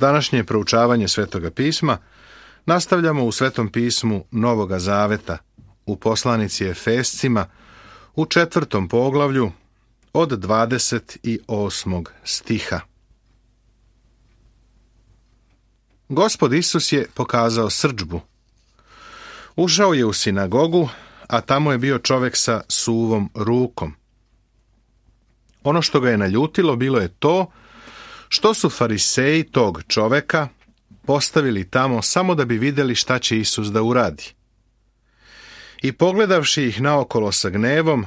Današnje proučavanje Svetoga pisma nastavljamo u Svetom pismu Novoga Zaveta, u poslanici Efescima, u 4. poglavlju od 28. stiha. Gospod Isus je pokazao srdžbu. Ušao je u sinagogu, a tamo je bio čovjek sa suvom rukom. Ono što ga je naljutilo bilo je to što su fariseji tog čovjeka postavili tamo samo da bi vidjeli šta će Isus da uradi. I pogledavši ih naokolo sa gnevom,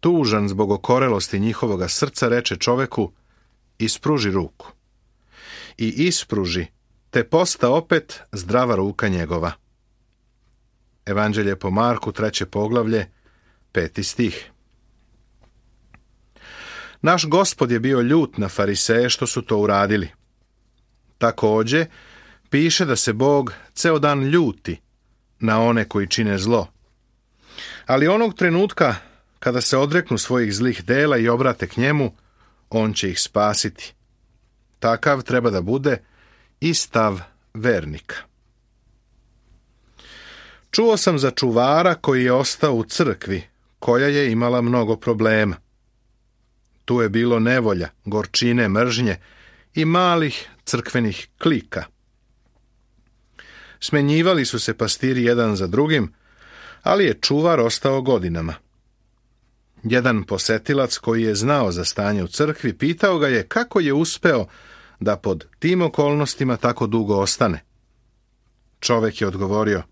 tužan zbog okorelosti njihovoga srca, reče čovjeku: ispruži ruku. I ispruži, te posta opet zdrava ruka njegova. Evanđelje po Marku, 3. poglavlje, 5. stih. Naš Gospod je bio ljut na fariseje što su to uradili. Također, piše da se Bog ceo dan ljuti na one koji čine zlo. Ali onog trenutka kada se odreknu svojih zlih dela i obrate k njemu, on će ih spasiti. Takav treba da bude i stav vernika. Čuo sam za čuvara koji je ostao u crkvi, koja je imala mnogo problema. Tu je bilo nevolja, gorčine, mržnje i malih crkvenih klika. Smenjivali su se pastiri jedan za drugim, ali je čuvar ostao godinama. Jedan posetilac koji je znao za stanje u crkvi pitao ga je kako je uspeo da pod tim okolnostima tako dugo ostane. Čovjek je odgovorio: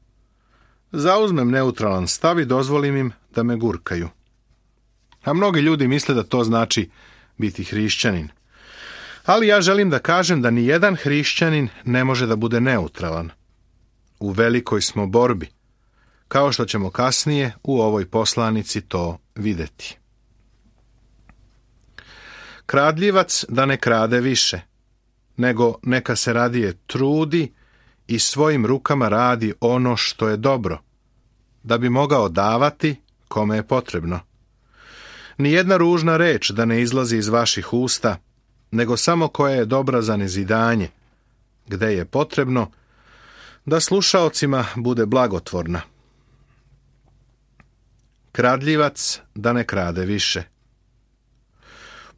zauzmem neutralan stav i dozvolim im da me gurkaju. A mnogi ljudi misle da to znači biti hrišćanin. Ali ja želim da kažem da ni jedan hrišćanin ne može da bude neutralan. U velikoj smo borbi, kao što ćemo kasnije u ovoj poslanici to vidjeti. Kradljivac da ne krade više, nego neka se radije trudi i svojim rukama radi ono što je dobro, da bi mogao davati kome je potrebno. Nijedna ružna reč da ne izlazi iz vaših usta, nego samo koja je dobra za nezidanje, gde je potrebno da slušaocima bude blagotvorna. Kradljivac da ne krade više.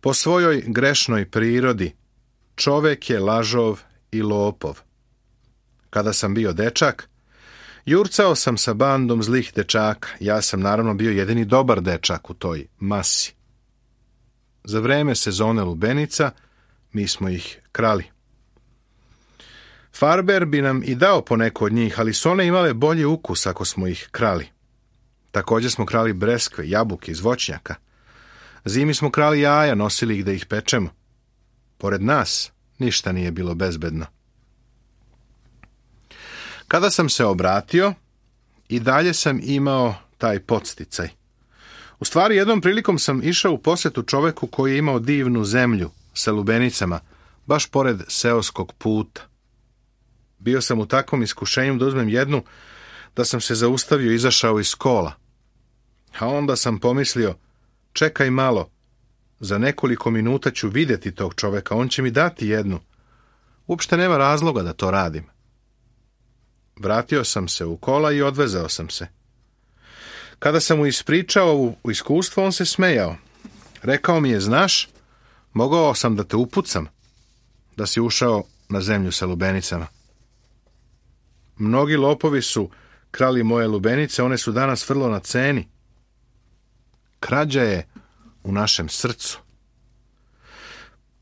Po svojoj grešnoj prirodi čovjek je lažov i lopov. Kada sam bio dečak, jurcao sam sa bandom zlih dečaka. Ja sam naravno bio jedini dobar dečak u toj masi. Za vreme sezone lubenica mi smo ih krali. Farber bi nam i dao po neko od njih, ali su one imale bolji ukus ako smo ih krali. Također smo krali breskve, jabuke iz voćnjaka. Zimi smo krali jaja, nosili ih da ih pečemo. Pored nas ništa nije bilo bezbedno. Kada sam se obratio, i dalje sam imao taj podsticaj. U stvari, jednom prilikom sam išao u posjetu čoveku koji je imao divnu zemlju sa lubenicama, baš pored seoskog puta. Bio sam u takvom iskušenju da uzmem jednu, da sam se zaustavio i izašao iz kola. A onda sam pomislio: čekaj malo, za nekoliko minuta ću vidjeti tog čoveka, on će mi dati jednu. Uopšte nema razloga da to radim. Vratio sam se u kola i odvezao sam se. Kada sam mu ispričao ovo iskustvo, on se smejao. Rekao mi je: znaš, mogao sam da te upucam, da si ušao na zemlju sa lubenicama. Mnogi lopovi su krali moje lubenice, one su danas vrlo na ceni. Krađa je u našem srcu.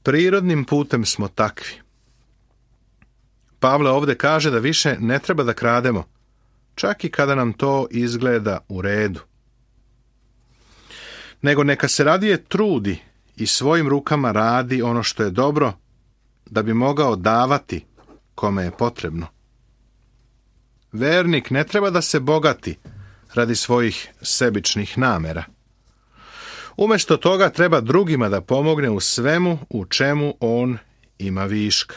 Prirodnim putem smo takvi. Pavle ovdje kaže da više ne treba da krademo, čak i kada nam to izgleda u redu. Nego neka se radije trudi i svojim rukama radi ono što je dobro, da bi mogao davati kome je potrebno. Vernik ne treba da se bogati radi svojih sebičnih namera. Umjesto toga treba drugima da pomogne u svemu u čemu on ima viška.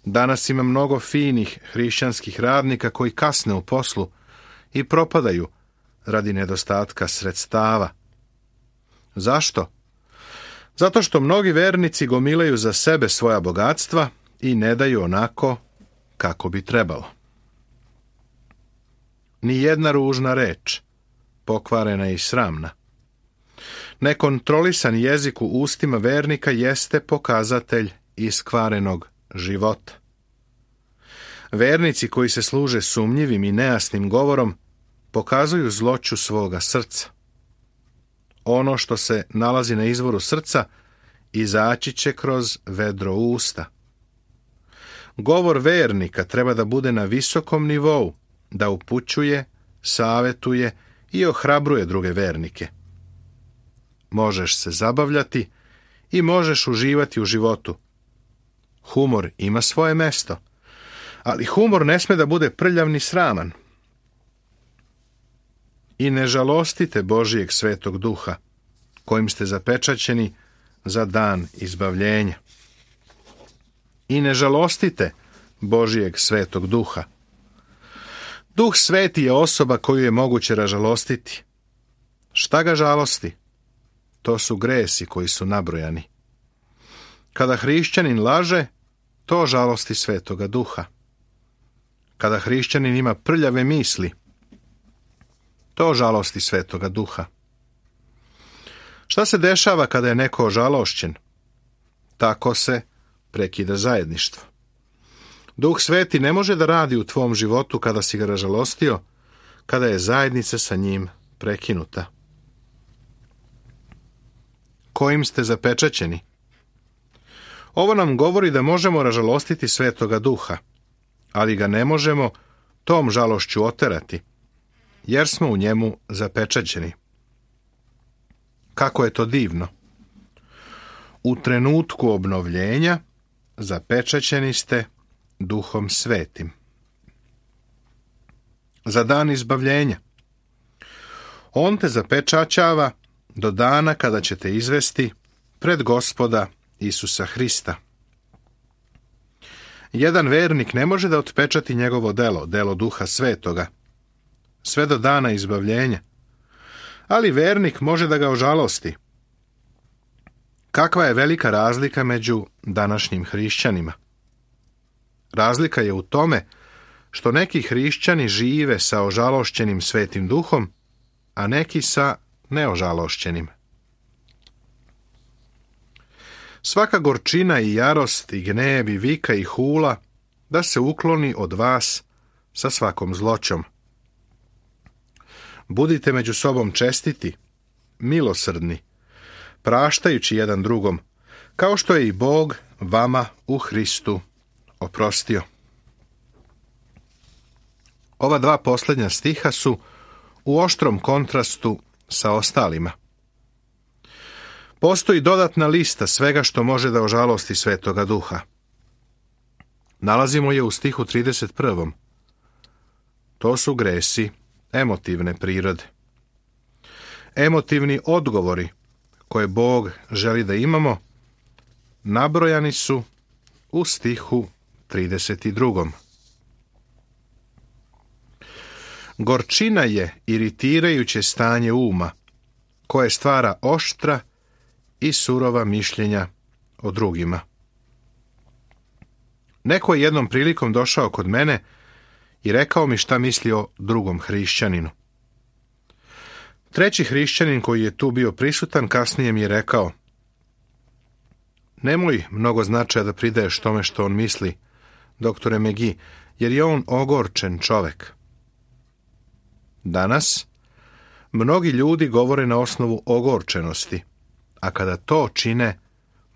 Danas ima mnogo finih hrišćanskih radnika koji kasne u poslu i propadaju radi nedostatka sredstava. Zašto? Zato što mnogi vernici gomilaju za sebe svoja bogatstva i ne daju onako kako bi trebalo. Ni jedna ružna reč, pokvarena i sramna. Nekontrolisan jezik u ustima vernika jeste pokazatelj iskvarenog života. Vernici koji se služe sumnjivim i nejasnim govorom pokazuju zloću svoga srca. Ono što se nalazi na izvoru srca izaći će kroz vedro usta. Govor vernika treba da bude na visokom nivou, da upućuje, savetuje i ohrabruje druge vernike. Možeš se zabavljati i možeš uživati u životu. Humor ima svoje mesto, ali humor ne sme da bude prljav ni sraman. I ne žalostite Božijeg svetog duha, kojim ste zapečaćeni za dan izbavljenja. I ne žalostite Božijeg svetog duha. Duh sveti je osoba koju je moguće ražalostiti. Šta ga žalosti? To su gresi koji su nabrojani. Kada hrišćanin laže, to žalosti svetoga duha. Kada hrišćanin ima prljave misli, to žalosti svetoga duha. Šta se dešava kada je neko ožalošćen? Tako se prekida zajedništvo. Duh sveti ne može da radi u tvom životu kada si ga ražalostio, kada je zajednica sa njim prekinuta. Kojim ste zapečaćeni? Ovo nam govori da možemo ražalostiti svetoga duha, ali ga ne možemo tom žalošću oterati, jer smo u njemu zapečaćeni. Kako je to divno! U trenutku obnovljenja zapečaćeni ste Duhom svetim. Za dan izbavljenja. On te zapečaćava do dana kada ćete izvesti pred Gospoda Isusa Hrista. Jedan vernik ne može da otpečati njegovo delo, delo Duha Svetoga, sve do dana izbavljenja, ali vernik može da ga ožalosti. Kakva je velika razlika među današnjim hrišćanima? Razlika je u tome što neki hrišćani žive sa ožalošćenim Svetim Duhom, a neki sa neožalošćenim. Svaka gorčina i jarost i gnjev i vika i hula da se ukloni od vas sa svakom zloćom. Budite među sobom čestiti, milosrdni, praštajući jedan drugom, kao što je i Bog vama u Hristu oprostio. Ova dva posljednja stiha su u oštrom kontrastu sa ostalima. Postoji dodatna lista svega što može da ožalosti Svetoga Duha. Nalazimo je u stihu 31. To su gresi emotivne prirode. Emotivni odgovori koje Bog želi da imamo nabrojani su u stihu 32. Gorčina je iritirajuće stanje uma koje stvara oštra i surova mišljenja o drugima. Neko je jednom prilikom došao kod mene i rekao mi šta misli o drugom hrišćaninu. Treći hrišćanin koji je tu bio prisutan kasnije mi je rekao: nemoj mnogo značaja da pridaješ tome što on misli, doktore Megi, jer je on ogorčen čovek. Danas mnogi ljudi govore na osnovu ogorčenosti, a kada to čine,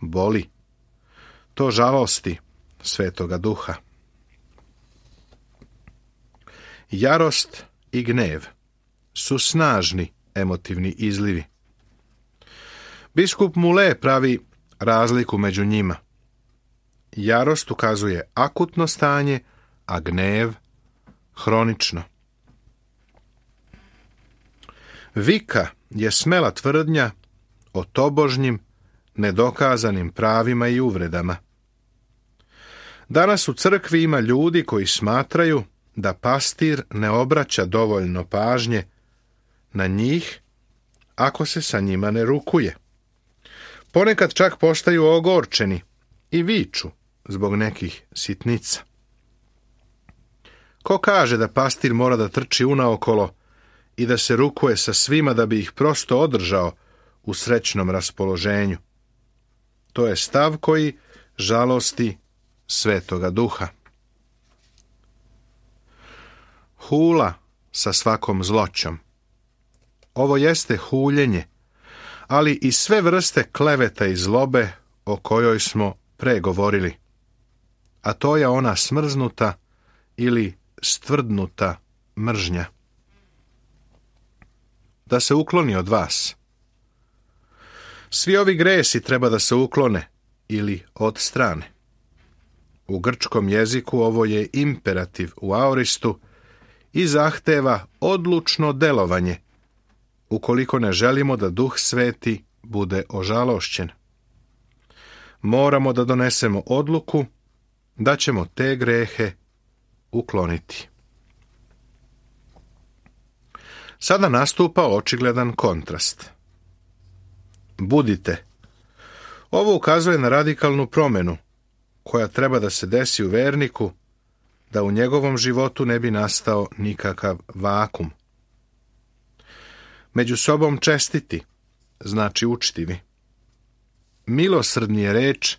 boli. To žalosti Svetoga Duha. Jarost i gnev su snažni emotivni izlivi. Biskup Mule pravi razliku među njima. Jarost ukazuje akutno stanje, a gnev hronično. Vika je smela tvrdnja o tobožnjim, nedokazanim pravima i uvredama. Danas u crkvi ima ljudi koji smatraju da pastir ne obraća dovoljno pažnje na njih ako se sa njima ne rukuje. Ponekad čak postaju ogorčeni i viču: zbog nekih sitnica. Ko kaže da pastir mora da trči unaokolo i da se rukuje sa svima da bi ih prosto održao u srećnom raspoloženju? To je stav koji žalosti Svetoga Duha. Hula sa svakom zloćom. Ovo jeste huljenje, ali i sve vrste kleveta i zlobe o kojoj smo pregovorili. A to je ona smrznuta ili stvrdnuta mržnja. Da se ukloni od vas. Svi ovi gresi treba da se uklone ili odstrane. U grčkom jeziku ovo je imperativ u aoristu i zahteva odlučno delovanje, ukoliko ne želimo da Duh Sveti bude ožalošćen. Moramo da donesemo odluku da ćemo te grehe ukloniti. Sada nastupa očigledan kontrast. Budite. Ovo ukazuje na radikalnu promjenu koja treba da se desi u verniku, da u njegovom životu ne bi nastao nikakav vakum. Među sobom čestiti, znači učtivi. Milosrdni je reč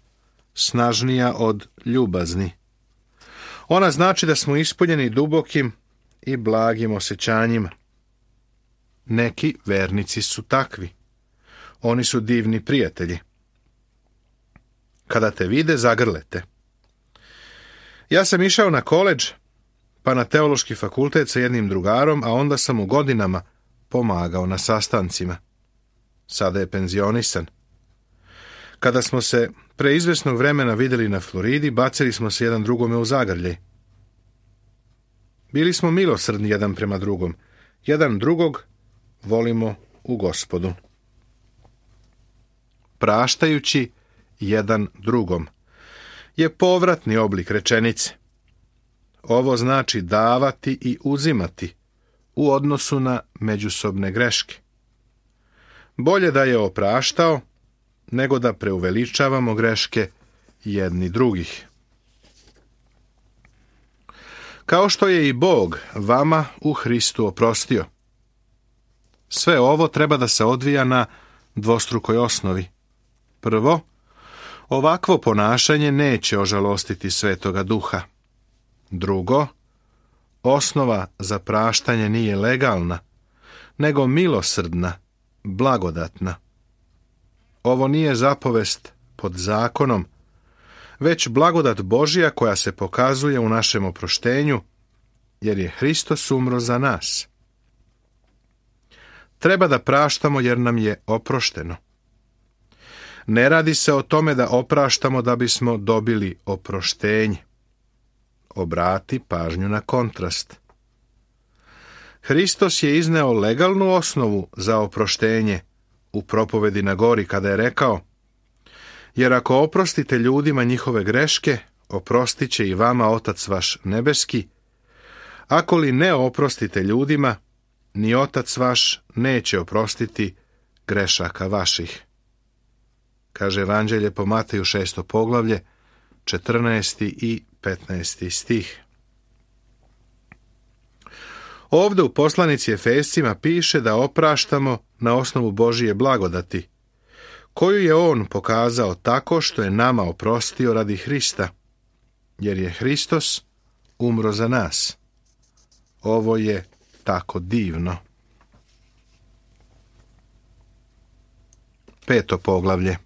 snažnija od ljubazni. Ona znači da smo ispunjeni dubokim i blagim osjećanjima. Neki vernici su takvi. Oni su divni prijatelji. Kada te vide, zagrlete. Ja sam išao na koledž, pa na teološki fakultet sa jednim drugarom, a onda sam u godinama pomagao na sastancima. Sada je penzionisan. Kada smo se pre izvesnog vremena vidjeli na Floridi, bacili smo se jedan drugome u zagrljaj. Bili smo milosrdni jedan prema drugom. Jedan drugog volimo u Gospodu. Praštajući jedan drugom je povratni oblik rečenice. Ovo znači davati i uzimati u odnosu na međusobne greške. Bolje da je opraštao, nego da preuveličavamo greške jedni drugih. Kao što je i Bog vama u Hristu oprostio. Sve ovo treba da se odvija na dvostrukoj osnovi. Prvo, ovakvo ponašanje neće ožalostiti Svetoga Duha. Drugo, osnova za praštanje nije legalna, nego milosrdna, blagodatna. Ovo nije zapovest pod zakonom, već blagodat Božja koja se pokazuje u našem oproštenju, jer je Hristos umro za nas. Treba da praštamo jer nam je oprošteno. Ne radi se o tome da opraštamo da bismo dobili oproštenje. Obrati pažnju na kontrast. Hristos je izneo legalnu osnovu za oproštenje u propovedi na gori kada je rekao: jer ako oprostite ljudima njihove greške, oprostit će i vama Otac vaš nebeski. Ako li ne oprostite ljudima, ni Otac vaš neće oprostiti grešaka vaših. Kaže Evanđelje po Mateju 6. poglavlje, 14. i 15. stih. Ovdje u poslanici Efescima piše da opraštamo na osnovu Božije blagodati, koju je On pokazao tako što je nama oprostio radi Hrista, jer je Hristos umro za nas. Ovo je tako divno. 5. poglavlje.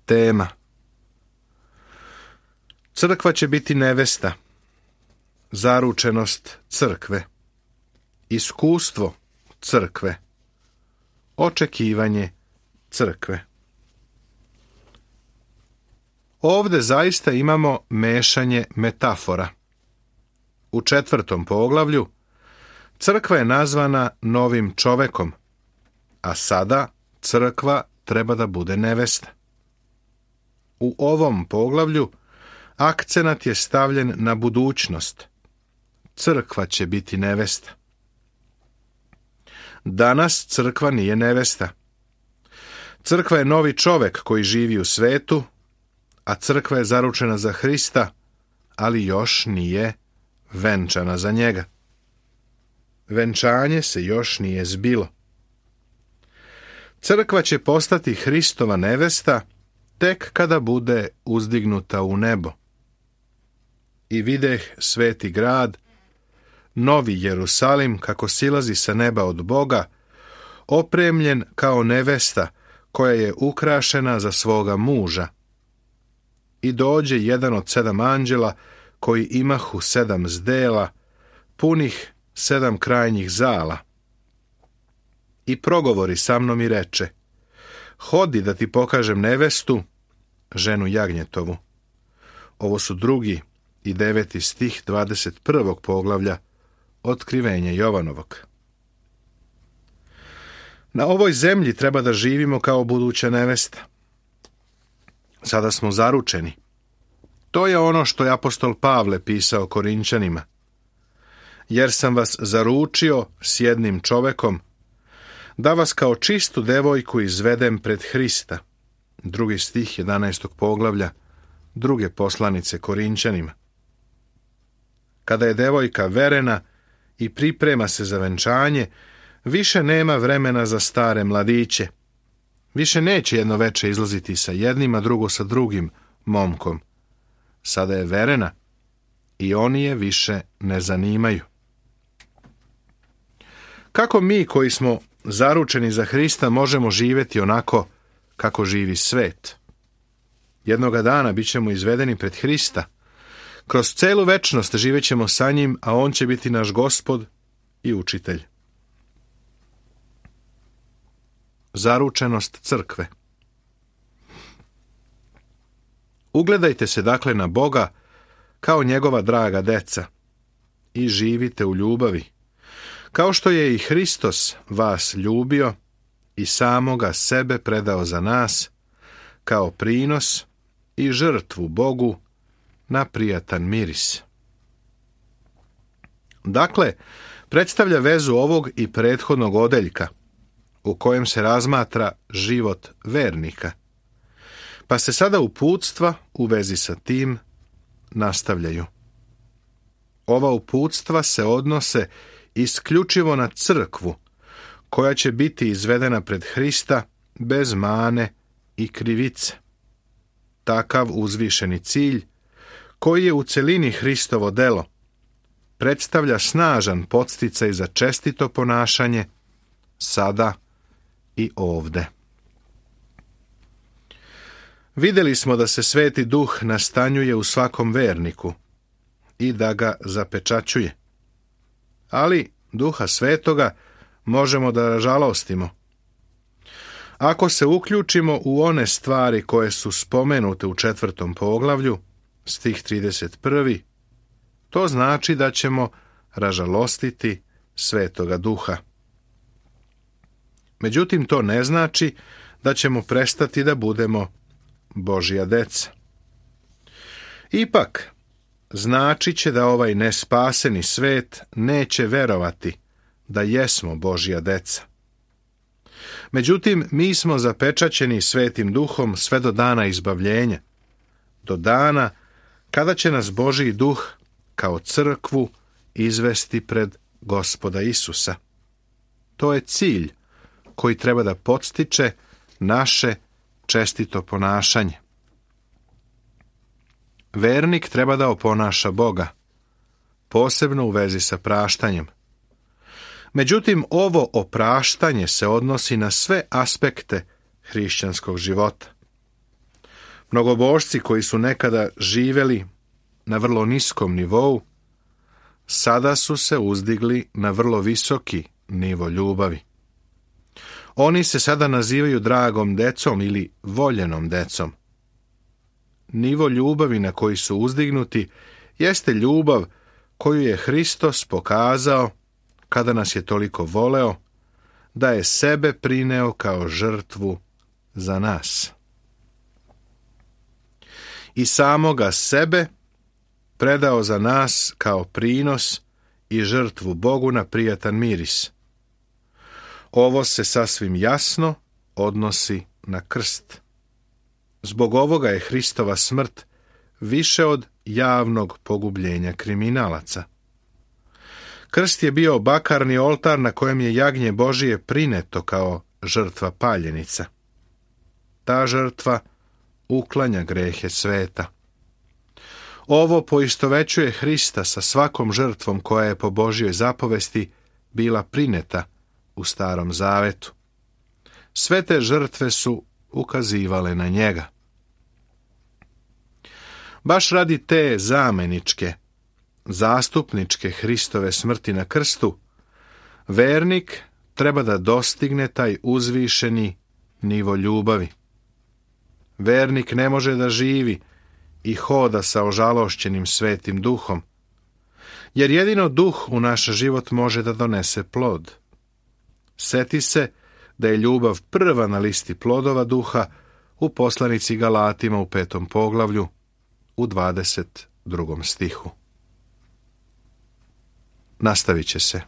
Tema. Crkva će biti nevesta. Zaručenost crkve. Iskustvo crkve. Očekivanje crkve. Ovdje zaista imamo mešanje metafora. U 4. poglavlju crkva je nazvana novim čovekom, a sada crkva treba da bude nevesta. U ovom poglavlju akcenat je stavljen na budućnost. Crkva će biti nevesta. Danas crkva nije nevesta. Crkva je novi čovek koji živi u svetu, a crkva je zaručena za Hrista, ali još nije venčana za njega. Venčanje se još nije zbilo. Crkva će postati Hristova nevesta tek kada bude uzdignuta u nebo. I videh sveti grad, novi Jerusalim, kako silazi sa neba od Boga, opremljen kao nevesta koja je ukrašena za svoga muža. I dođe jedan od 7 anđela koji imahu 7 zdela, punih 7 krajnjih zala. I progovori sa mnom i reče: hodi da ti pokažem nevestu, ženu jagnjetovu. Ovo su 2. i 9. stih 21. poglavlja Otkrivenja Jovanovog. Na ovoj zemlji treba da živimo kao buduća nevesta. Sada smo zaručeni. To je ono što je apostol Pavle pisao Korinčanima. Jer sam vas zaručio s jednim čovekom, da vas kao čistu devojku izvedem pred Hrista. 2. stih 11. poglavlja 2. poslanice Korinčanima. Kada je devojka verena i priprema se za venčanje, više nema vremena za stare mladiće. Više neće jedno veče izlaziti sa jednim, a drugo sa drugim momkom. Sada je verena i oni je više ne zanimaju. Kako mi koji smo zaručeni za Hrista možemo živjeti onako kako živi svet? Jednoga dana bit ćemo izvedeni pred Hrista. Kroz celu večnost živećemo sa njim, a on će biti naš Gospod i učitelj. Zaručenost crkve. Ugledajte se dakle na Boga kao njegova draga deca i živite u ljubavi, kao što je i Hristos vas ljubio i samoga sebe predao za nas kao prinos i žrtvu Bogu na prijatan miris. Dakle, predstavlja vezu ovog i prethodnog odeljka, u kojem se razmatra život vernika. Pa se sada uputstva u vezi sa tim nastavljaju. Ova uputstva se odnose isključivo na crkvu, koja će biti izvedena pred Hrista bez mane i krivice. Takav uzvišeni cilj, koji je u celini Hristovo delo, predstavlja snažan podsticaj za čestito ponašanje sada i ovde. Vidjeli smo da se Sveti Duh nastanjuje u svakom verniku i da ga zapečaćuje. Ali Duha Svetoga možemo da ražalostimo. Ako se uključimo u one stvari koje su spomenute u 4. poglavlju, stih 31, to znači da ćemo ražalostiti Svetoga Duha. Međutim, to ne znači da ćemo prestati da budemo Božja deca. Ipak, znači će da ovaj nespaseni svet neće verovati da jesmo Božja deca. Međutim, mi smo zapečaćeni Svetim Duhom sve do dana izbavljenja, do dana kada će nas Božji Duh kao crkvu izvesti pred Gospoda Isusa. To je cilj koji treba da podstiče naše čestito ponašanje. Vernik treba da oponaša Boga, posebno u vezi sa praštanjem. Međutim, ovo opraštanje se odnosi na sve aspekte hrišćanskog života. Mnogobožci koji su nekada živjeli na vrlo niskom nivou, sada su se uzdigli na vrlo visoki nivo ljubavi. Oni se sada nazivaju dragom decom ili voljenom decom. Nivo ljubavi na koji su uzdignuti jeste ljubav koju je Hristos pokazao kada nas je toliko voleo da je sebe prineo kao žrtvu za nas. I samoga sebe predao za nas kao prinos i žrtvu Bogu na prijatan miris. Ovo se sasvim jasno odnosi na krst. Zbog ovoga je Hristova smrt više od javnog pogubljenja kriminalaca. Krst je bio bakarni oltar na kojem je jagnje Božije prineto kao žrtva paljenica. Ta žrtva uklanja grehe sveta. Ovo poistovećuje Hrista sa svakom žrtvom koja je po Božjoj zapovesti bila prineta u Starom Zavetu. Sve te žrtve su ukazivale na njega. Baš radi te zameničke, zastupničke Hristove smrti na krstu, vernik treba da dostigne taj uzvišeni nivo ljubavi. Vernik ne može da živi i hoda sa ožalošćenim Svetim Duhom, jer jedino Duh u naš život može da donese plod. Seti se da je ljubav prva na listi plodova Duha u poslanici Galatima u 5. poglavlju u 22. stihu. Nastavit će se.